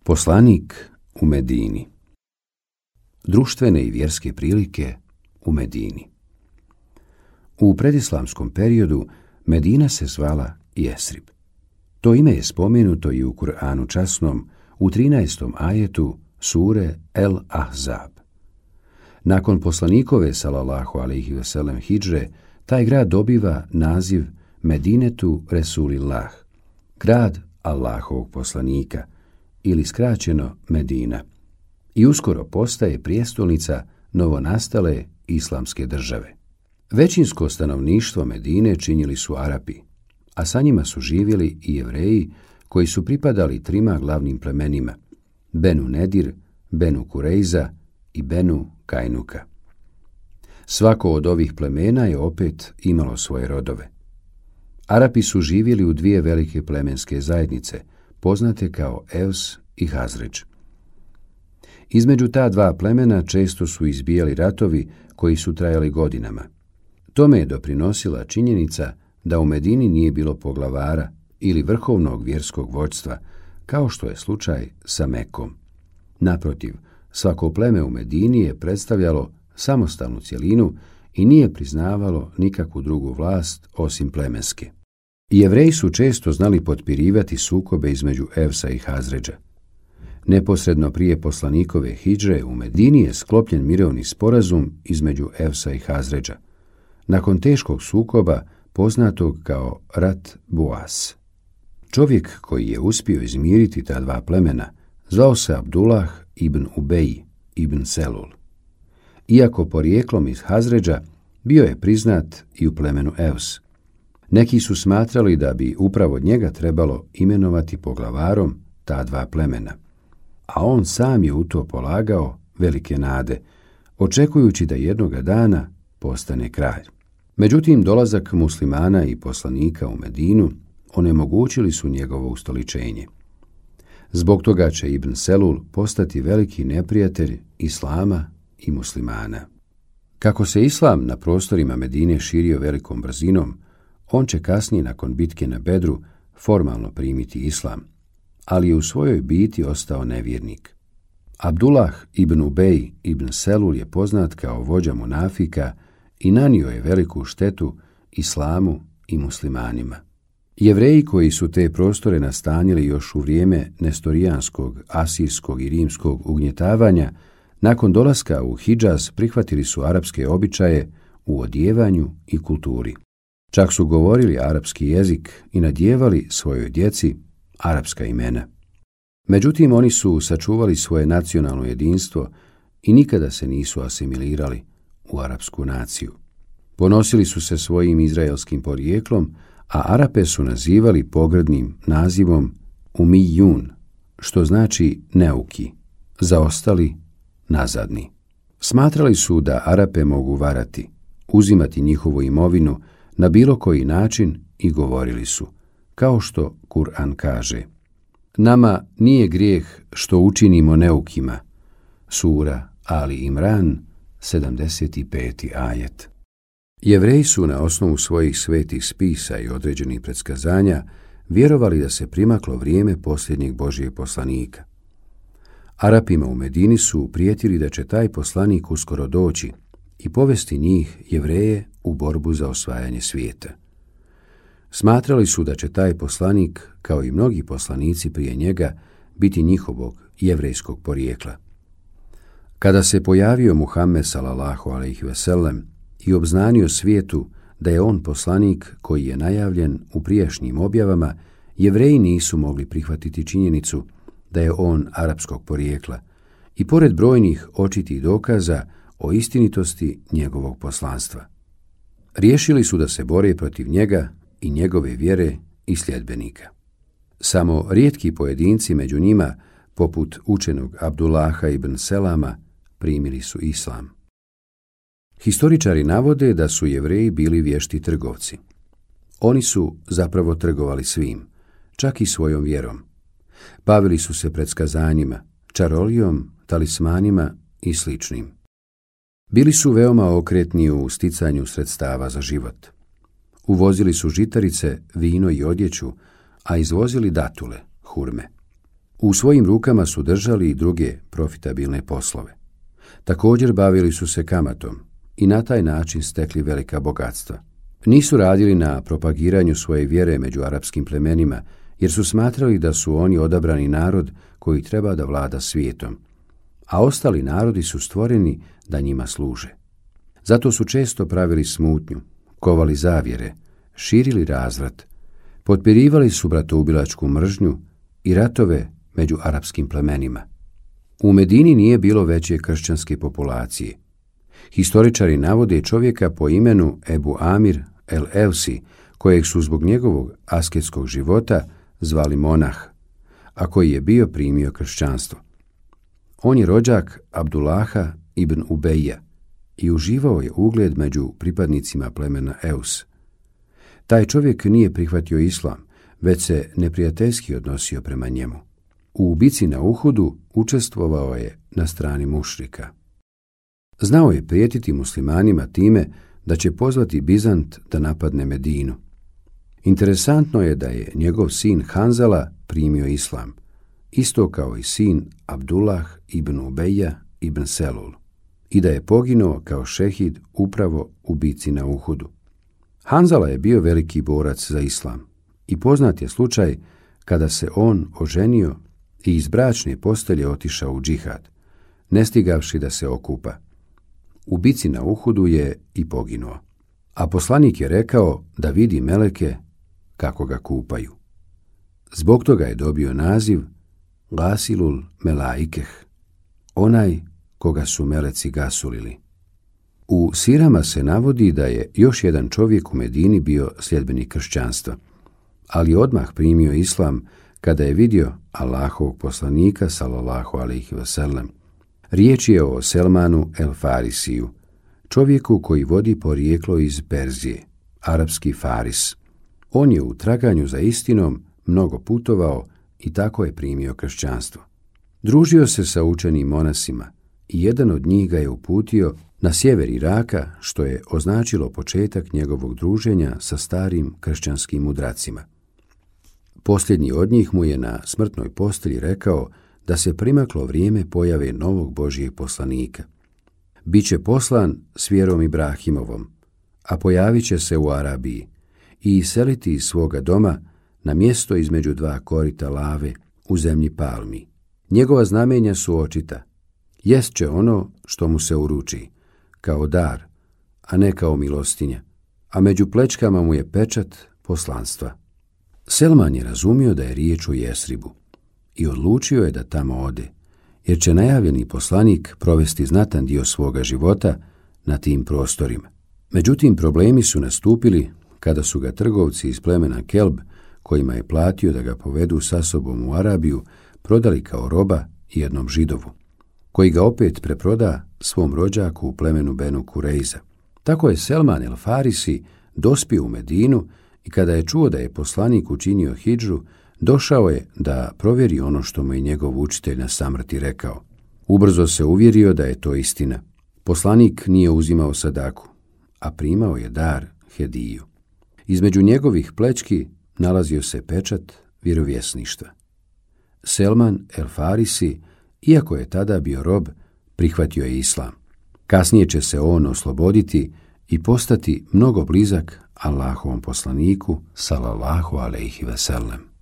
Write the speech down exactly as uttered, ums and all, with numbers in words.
Poslanik u Medini. Društvene i vjerske prilike u Medini. U predislamskom periodu Medina se zvala Jesrib. To ime je spomenuto i u Kur'anu časnom u trinaestom ajetu sure El Ahzab. Nakon poslanikove sallallahu alejhi ve sellem hidžre, taj grad dobiva naziv Medinetu Resulillah, grad Allahovog poslanika, ili skraćeno Medina, i uskoro postaje prijestolnica novonastale islamske države. Većinsko stanovništvo Medine činili su Arapi, a sa njima su živjeli i Jevreji koji su pripadali trima glavnim plemenima, Benu Nedir, Benu Kurejza i Benu Kajnuka. Svako od ovih plemena je opet imalo svoje rodove. Arapi su živjeli u dvije velike plemenske zajednice, poznate kao Evs i Hazredž. Između ta dva plemena često su izbijali ratovi koji su trajali godinama. Tome je doprinosila činjenica da u Medini nije bilo poglavara ili vrhovnog vjerskog vođstva, kao što je slučaj sa Mekom. Naprotiv, svako pleme u Medini je predstavljalo samostalnu cjelinu i nije priznavalo nikakvu drugu vlast osim plemenske. Jevreji su često znali potpirivati sukobe između Evsa i Hazredža. Neposredno prije poslanikove hidžre u Medini je sklopljen mirovni sporazum između Evsa i Hazredža, nakon teškog sukoba poznatog kao rat Buas. Čovjek koji je uspio izmiriti ta dva plemena zvao se Abdullah ibn Ubej ibn Selul. Iako porijeklom iz Hazredža, bio je priznat i u plemenu Evs. Neki su smatrali da bi upravo njega trebalo imenovati poglavarom ta dva plemena, a on sam je u to polagao velike nade, očekujući da jednoga dana postane kralj. Međutim, dolazak muslimana i poslanika u Medinu onemogućili su njegovo ustoličenje. Zbog toga će Ibn Selul postati veliki neprijatelj islama i muslimana. Kako se islam na prostorima Medine širio velikom brzinom, on će kasnije nakon bitke na Bedru formalno primiti islam, ali je u svojoj biti ostao nevjernik. Abdullah ibn Ubej ibn Selul je poznat kao vođa munafika i nanio je veliku štetu islamu i muslimanima. Jevreji koji su te prostore nastanili još u vrijeme nestorijanskog, asirskog i rimskog ugnjetavanja, nakon dolaska u Hidžaz prihvatili su arapske običaje u odjevanju i kulturi. Čak su govorili arapski jezik i nadjevali svojoj djeci arapska imena. Međutim, oni su sačuvali svoje nacionalno jedinstvo i nikada se nisu asimilirali u arapsku naciju. Ponosili su se svojim izraelskim porijeklom, a Arape su nazivali pogrdnim nazivom Umijun, što znači neuki, zaostali, nazadni. Smatrali su da Arape mogu varati, uzimati njihovu imovinu na bilo koji način i govorili su, kao što Kur'an kaže: nama nije grijeh što učinimo neukima. Sura Ali Imran, sedamdeset peti ajet. Jevreji su na osnovu svojih svetih spisa i određenih predskazanja vjerovali da se primaklo vrijeme posljednjeg Božijeg poslanika. Arapima u Medini su prijetili da će taj poslanik uskoro doći i povesti njih, Jevreje, u borbu za osvajanje svijeta. Smatrali su da će taj poslanik, kao i mnogi poslanici prije njega, biti njihovog jevrejskog porijekla. Kada se pojavio Muhammed sallallahu alejhi ve sellem i obznanio svijetu da je on poslanik koji je najavljen u prijašnjim objavama, Jevreji nisu mogli prihvatiti činjenicu da je on arapskog porijekla i pored brojnih očitih dokaza o istinitosti njegovog poslanstva. Riješili su da se bore protiv njega i njegove vjere i sljedbenika. Samo rijetki pojedinci među njima, poput učenog Abdullaha ibn Selama, primili su islam. Historičari navode da su Jevreji bili vješti trgovci. Oni su zapravo trgovali svim, čak i svojom vjerom. Bavili su se predskazanjima, čarolijom, talismanima i sličnim. Bili su veoma okretni u sticanju sredstava za život. Uvozili su žitarice, vino i odjeću, a izvozili datule, hurme. U svojim rukama su držali i druge profitabilne poslove. Također bavili su se kamatom i na taj način stekli velika bogatstva. Nisu radili na propagiranju svoje vjere među arapskim plemenima, jer su smatrali da su oni odabrani narod koji treba da vlada svijetom, a ostali narodi su stvoreni da njima služe. Zato su često pravili smutnju, kovali zavjere, širili razvrat, potpirivali su bratoubilačku mržnju i ratove među arapskim plemenima. U Medini nije bilo veće kršćanske populacije. Historičari navode čovjeka po imenu Ebu Amir el-Evsi, kojeg su zbog njegovog asketskog života zvali monah, a koji je bio primio kršćanstvo. On je rođak Abdullaha ibn Ubeja i uživao je ugled među pripadnicima plemena Eus. Taj čovjek nije prihvatio islam, već se neprijateljski odnosio prema njemu. U bici na Uhudu učestvovao je na strani mušrika. Znao je prijetiti muslimanima time da će pozvati Bizant da napadne Medinu. Interesantno je da je njegov sin Hanzala primio islam, isto kao i sin Abdullah ibn Ubeja ibn Selul, i da je poginuo kao šehid upravo u bici na Uhudu. Hanzala je bio veliki borac za islam i poznat je slučaj kada se on oženio i iz bračne postelje otišao u džihad, ne stigavši da se okupa. U bici na Uhudu je i poginuo, a poslanik je rekao da vidi meleke kako ga kupaju. Zbog toga je dobio naziv Gasilul Melaikeh, onaj koga su meleci gasulili. U sirama se navodi da je još jedan čovjek u Medini bio sljedbenik kršćanstva, ali odmah primio islam kada je vidio Allahovog poslanika sallallahu alejhi ve sellem. Riječ je o Selmanu el Farisiju, čovjeku koji vodi porijeklo iz Perzije, arapski Faris. On je u traganju za istinom mnogo putovao i tako je primio kršćanstvo. Družio se sa učenim monasima i jedan od njih ga je uputio na sjever Iraka, što je označilo početak njegovog druženja sa starim kršćanskim mudracima. Posljednji od njih mu je na smrtnoj postelji rekao da se primaklo vrijeme pojave novog Božijeg poslanika. Biće poslan s vjerom Ibrahimovom, a pojavit će se u Arabiji i iseliti iz svoga doma na mjesto između dva korita lave u zemlji palmi. Njegova znamenja su očita. Jest će ono što mu se uruči, kao dar, a ne kao milostinja, a među plećkama mu je pečat poslanstva. Selman je razumio da je riječ o Jesribu i odlučio je da tamo ode, jer će najavljeni poslanik provesti znatan dio svoga života na tim prostorima. Međutim, problemi su nastupili kada su ga trgovci iz plemena Kelb, kojima je platio da ga povedu sa sobom u Arabiju, prodali kao roba jednom Židovu, koji ga opet preproda svom rođaku u plemenu Benu Kurejza. Tako je Selman el Farisi dospio u Medinu i kada je čuo da je poslanik učinio hidžru, došao je da provjeri ono što mu je njegov učitelj na samrti rekao. Ubrzo se uvjerio da je to istina. Poslanik nije uzimao sadaku, a primao je dar, hediju. Između njegovih plećki nalazio se pečat vjerovjesništva. Selman el Farisi, iako je tada bio rob, prihvatio je islam. Kasnije će se on osloboditi i postati mnogo blizak Allahovom poslaniku sallallahu alejhi ve sellem.